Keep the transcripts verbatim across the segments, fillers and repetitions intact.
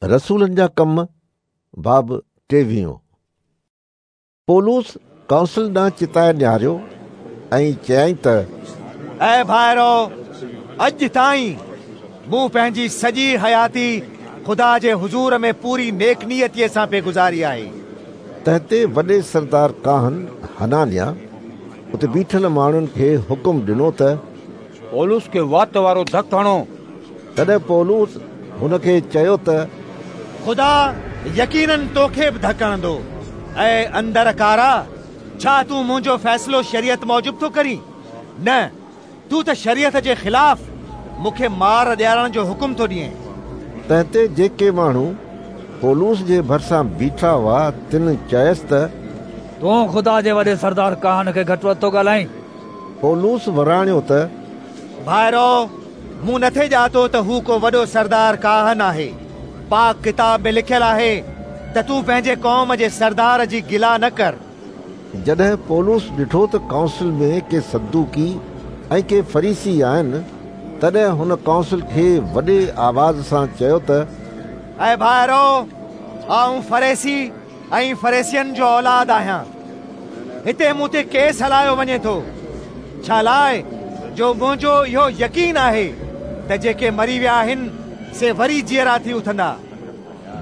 रसूलनि जा कम बाब टेविहों। पौलुस काउंसिल ॾांहुं चिताए निहारियो ऐं चयाईं त ऐ भाइरो, अॼु ताईं मूं पंहिंजी सॼी हयाती ख़ुदा जे हुज़ूर में पूरी नेक नीयतीअ सां पई गुज़ारी आहे। तंहिं ते वॾे सरदार काहन हनानिया उते बीठल माण्हुनि खे हुकुम ॾिनो त पौलुस खे वात वारो धक हणो। तॾहिं पौलुस हुनखे चयो त ख़ुदा यकीनन तोखे बि धक हणंदो। ऐं अंदर कारा, छा तूं मुंहिंजो फ़ैसिलो शरीयत मूजिबि थो करीं? न, तूं त शरीयत जे ख़िलाफ़ मूंखे मार ॾियारण जो हुकुम थो ॾिएं। तंहिं ते जेके माण्हू पौलुस जे भरिसां बीठा हुआ तिन चयसि त तूं ख़ुदा जे वॾे सरदार काहन खे घटि वधि थो ॻाल्हाईं। पौलुस वराणियो त भाइरो, मूं नथे ॼातो त हू को वॾो सरदार काहन आहे। पाक किताब में लिखियल आहे त तूं पंहिंजे क़ौम जे सरदार जी गिला न कर। जॾहिं पौलुस ॾिठो त काउंसिल में के सदूकी ऐं के फरीसी आहिनि, तॾहिं हुन काउंसिल खे वॾे आवाज़ सां चयो त ऐ भाइरो, आउं फरीसी ऐं फरीसियनि जो औलाद आहियां। हिते मूं ते केस हलायो वञे थो, छा लाइ जो मुंहिंजो इहो यकीन आहे त जेके मरी विया आहिनि से वरी जीअरा थी उथंदा।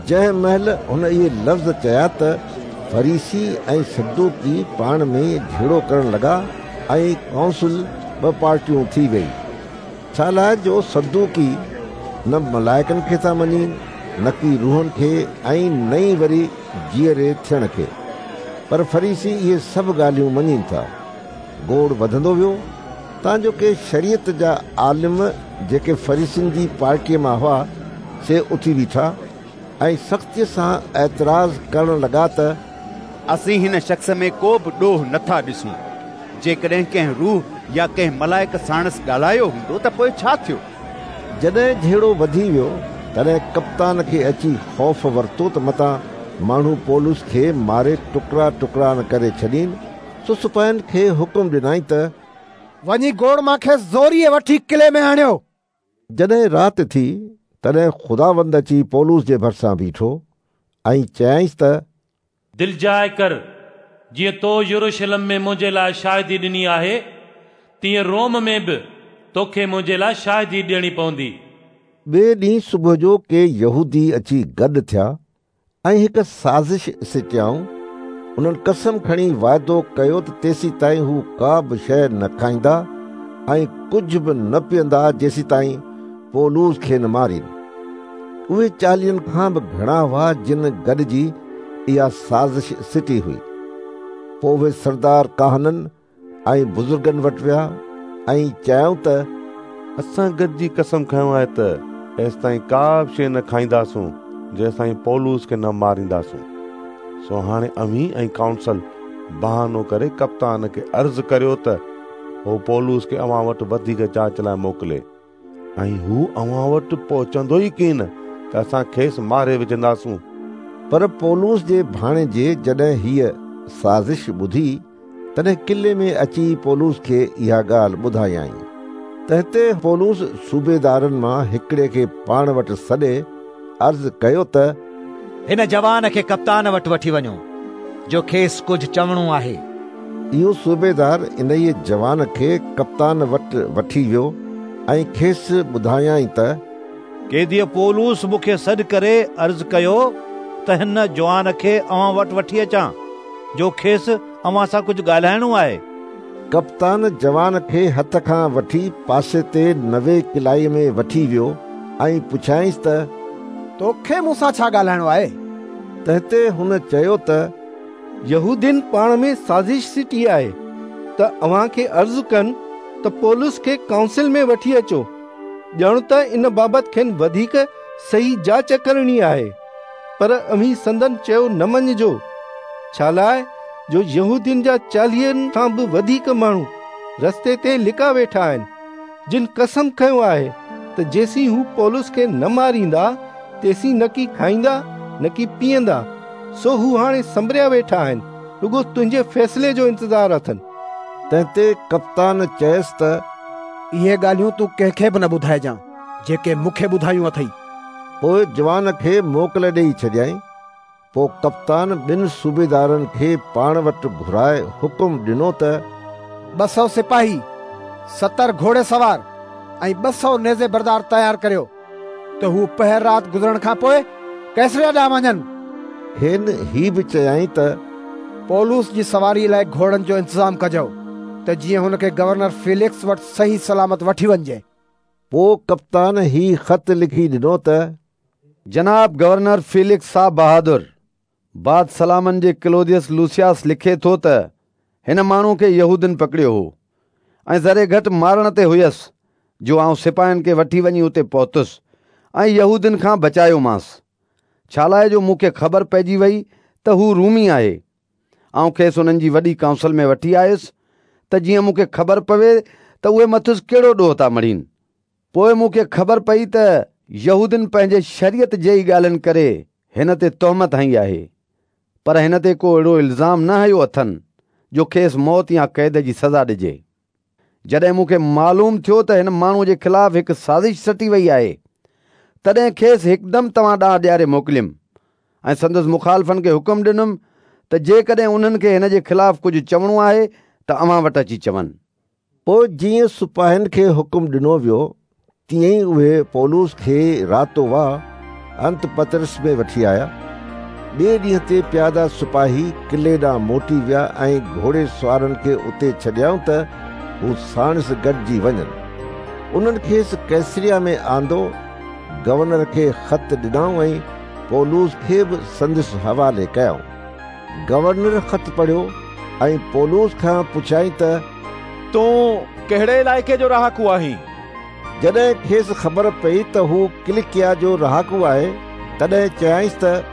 जंहिं महिल हुन इहे लफ़्ज़ चया त फरीसी ऐं सदूकी पाण में झेड़ो करण लॻा ऐं काउंसिल ॿ पार्टियूं थी वई। छा लाइ जो सदूकी न मलाइकनि खे था मञीनि, न की रूहनि खे ऐं न ई वरी जीअरे थियण खे, पर फरीसी इहे सभु ॻाल्हियूं मञीनि था। गोड़ वधंदो वियो, तांजो के शरीयत जा आलिम जेके फरीसियुनि जी पार्टीअ मां हुआ से उथी बीठा ऐं सख़्तीअ सां एतिराज़ करण लॻा त असीं हिन शख़्स में को बि ॾोह नथा ॾिसूं। जेकॾहिं कंहिं रूह या कंहिं मलाइक साणसि ॻाल्हायो हूंदो त पोइ छा थियो? जॾहिं झेड़ो वधी वियो तॾहिं कप्तान खे अची ख़ौफ़ वरितो त मतां माण्हू पौलुस खे मारे टुकड़ा टुकड़ा न करे छॾीनि। सो सिपाहियुनि खे हुकुम ॾिनई त वञी गोड़ मां खेसि ज़ोरीअ वठी किले में आणियो। जॾहिं राति थी तॾहिं ख़ुदावंद अची पौलुस जे भरिसां बीठो ऐं चयाईंसि त दिलजाए कर, जीअं तो यरूशलेम में मुंहिंजे लाइ शाहिदी ॾिनी आहे तीअं रोम में बि तोखे मुंहिंजे लाइ शाहिदी ॾियणी पवंदी। ॿिए ॾींहुं सुबुह जो के यहूदी अची गॾु थिया ऐं हिकु साज़िश सिटियाऊं। उन्हनि कसम खणी वाइदो कयो त तेसी ताईं हू का बि शइ न खाईंदा ऐं कुझु बि न पीअंदा जेसी ताईं पौलुस खे न मारीनि। उहे चालीहनि खां बि घणा हुआ जिन गॾिजी इहा साज़िश सिटी हुई। पोइ उहे सरदार काहननि ऐं बुज़ुर्गनि वटि विया ऐं चयाऊं त असां गॾिजी कसम खयो आहे त एसि ताईं का बि शइ न खाईंदासूं जेसि ताईं पौलुस खे न मारींदासूं। सो हाणे अव्हीं ऐं काउंसिल बहानो करे कप्तान खे अर्ज़ु करियो त हू पौलुस खे अव्हां वटि वधीक जांच लाइ मोकिले, ऐं हू अव्हां वटि पहुचंदो ई कीन त असां खेसि मारे विझंदासूं। पर पौलुस जे भाणेजे जॾहिं हीअ साज़िश ॿुधी तॾहिं किले में अची पौलुस खे इहा ॻाल्हि ॿुधायाईं। तंहिं ते पौलुस सूबेदारनि मां हिकिड़े खे पाण वटि सॾे अर्ज़ु कयो त हिन जवान खे कप्तान वटि वठी वञो जो खेसि कुझु चवणो आहे। इहो सूबेदार इन जवान खे कप्तान वटि वठी वियो ऐं खेसि ॿुधायाईं त कैदीअ पौलुस मूंखे सॾु करे अर्ज़ु कयो त हिन जवान खे अव्हां वटि वठी अचां जो खेसि अव्हां सां कुझु ॻाल्हाइणो आहे। कप्तान जवान खे हथ खां वठी पासे ते नवे किलाई में वठी वियो ऐं पुछाईंसि त तोखे मूंसां छा ॻाल्हाइणो आहे? तंहिं ते हुन चयो त यहूदियुनि पाण में साज़िश सिटी आहे त अव्हां खे अर्ज़ु कनि त पौलुस खे काउंसिल में वठी अचो, ॼण त इन बाबति खेनि वधीक सही जांच करणी आहे। पर अव्हीं संदन चयो न मञिजो, छा लाइ जो यहूदियुनि जा चालीहनि खां बि वधीक माण्हू रस्ते ते लिका वेठा आहिनि, जिन कसम खयो आहे त जेसीं हू पौलुस खे न मारींदा तेसीं न की खाईंदा न की पीअंदा। सो हू हाणे संभरिया वेठा आहिनि, रुगो तुंहिंजे फ़ैसिले जो इंतज़ारु अथनि। तंहिं ते कप्तान चयसि त इहे ॻाल्हियूं तूं कंहिंखे बि न ॿुधाइजां जेके मूंखे ॿुधायूं अथई। पोइ जवान खे मोकिल ॾेई छॾियाईं। पोइ कप्तान ॿिनि सूबेदारनि खे पाण वटि घुराए हुकुम ॾिनो त ॿ सौ सिपाही, सतरि घोड़े सवार ऐं ॿ सौ नेज़े बरदार तयारु करियो त हू पहर राति गुज़रण खां पोइ कैसरिया ॾांहुं वञनि। खेनि ही बि चयाईं त पौलुस जी सवारी लाइ घोड़नि जो इंतज़ामु कजो त जीअं हुनखे गवर्नर फेलिक्स वटि सही सलामत वठी वञिजे। पोइ कप्तान ही ख़त लिखी ॾिनो त जनाब गवर्नर फेलिक्स साहब बहादुर, बाद सलामन जे क्लोदियस लूसियास लिखे थो त हिन माण्हू खे यहूदियुनि पकड़ियो हो ऐं ज़रे घटि मारण ते हुयसि जो आउं सिपाहियुनि खे वठी वञी उते पहुतुसि ऐं यहूदियुनि खां बचायोमांसि, छा लाइ जो मूंखे ख़बर पइजी वई त हू रूमी आहे। आउं खेसि उन्हनि जी वॾी काउंसिल में वठी आयुसि त जीअं मूंखे ख़बर पवे त उहे मथुसि कहिड़ो ॾोह था मढ़ीनि। पोइ मूंखे ख़बर पई त यहूदियुनि पंहिंजे शरीयत जे ई ॻाल्हियुनि करे हिन ते तोहमत हई आहे, पर हिन ते को अहिड़ो इल्ज़ाम न हयो अथनि जो खेसि मौत या क़ैद जी सज़ा ॾिजे। जॾहिं मूंखे मालूम थियो त हिन माण्हूअ जे ख़िलाफ़ हिकु साज़िश सटी वई आहे, तॾहिं खेसि हिकदमि तव्हां ॾांहुं ॾियारे मोकिलियुमि ऐं संदसि मुखालिफ़नि खे हुकुम ॾिनुमि त जेकॾहिं उन्हनि खे हिन जे ख़िलाफ़ कुझु चवणो आहे त अव्हां वटि अची चवनि। पोइ जीअं सिपाहियुनि खे हुकुम ॾिनो वियो तीअं ई उहे पौलुस खे रातो वाह अंतपतरस में वठी आया। ॿिए ॾींहं ते प्यादा सिपाही किले ॾांहुं मोटी विया ऐं घोड़े सवारनि खे उते छॾियऊं त हू साणसि गॾिजी वञनि। उन्हनि खेसि कैसरिया में आंदो, गवर्नर खे ख़त ॾिनऊं ऐं पौलुस खे बि संदसि हवाले कयऊं। गवर्नर ख़त पढ़ियो ऐं पौलुस खां पुछियाईं त तूं कहिड़े इलाइक़े जो रहाकू आहीं? जॾहिं खेसि ख़बर पई त हू किलिकिया जो रहाकू आहे, तॾहिं चयाईंसि त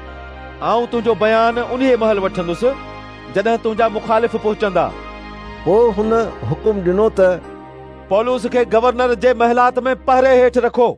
आउं तुंहिंजो बयान उन्हीअ महिल वठंदुसि जॾहिं तुंहिंजा मुखालिफ़ पहुचंदा। पोइ हुन हुकुम ॾिनो त पौलुस खे गवर्नर जे महलात में पहरे हेठि रखो।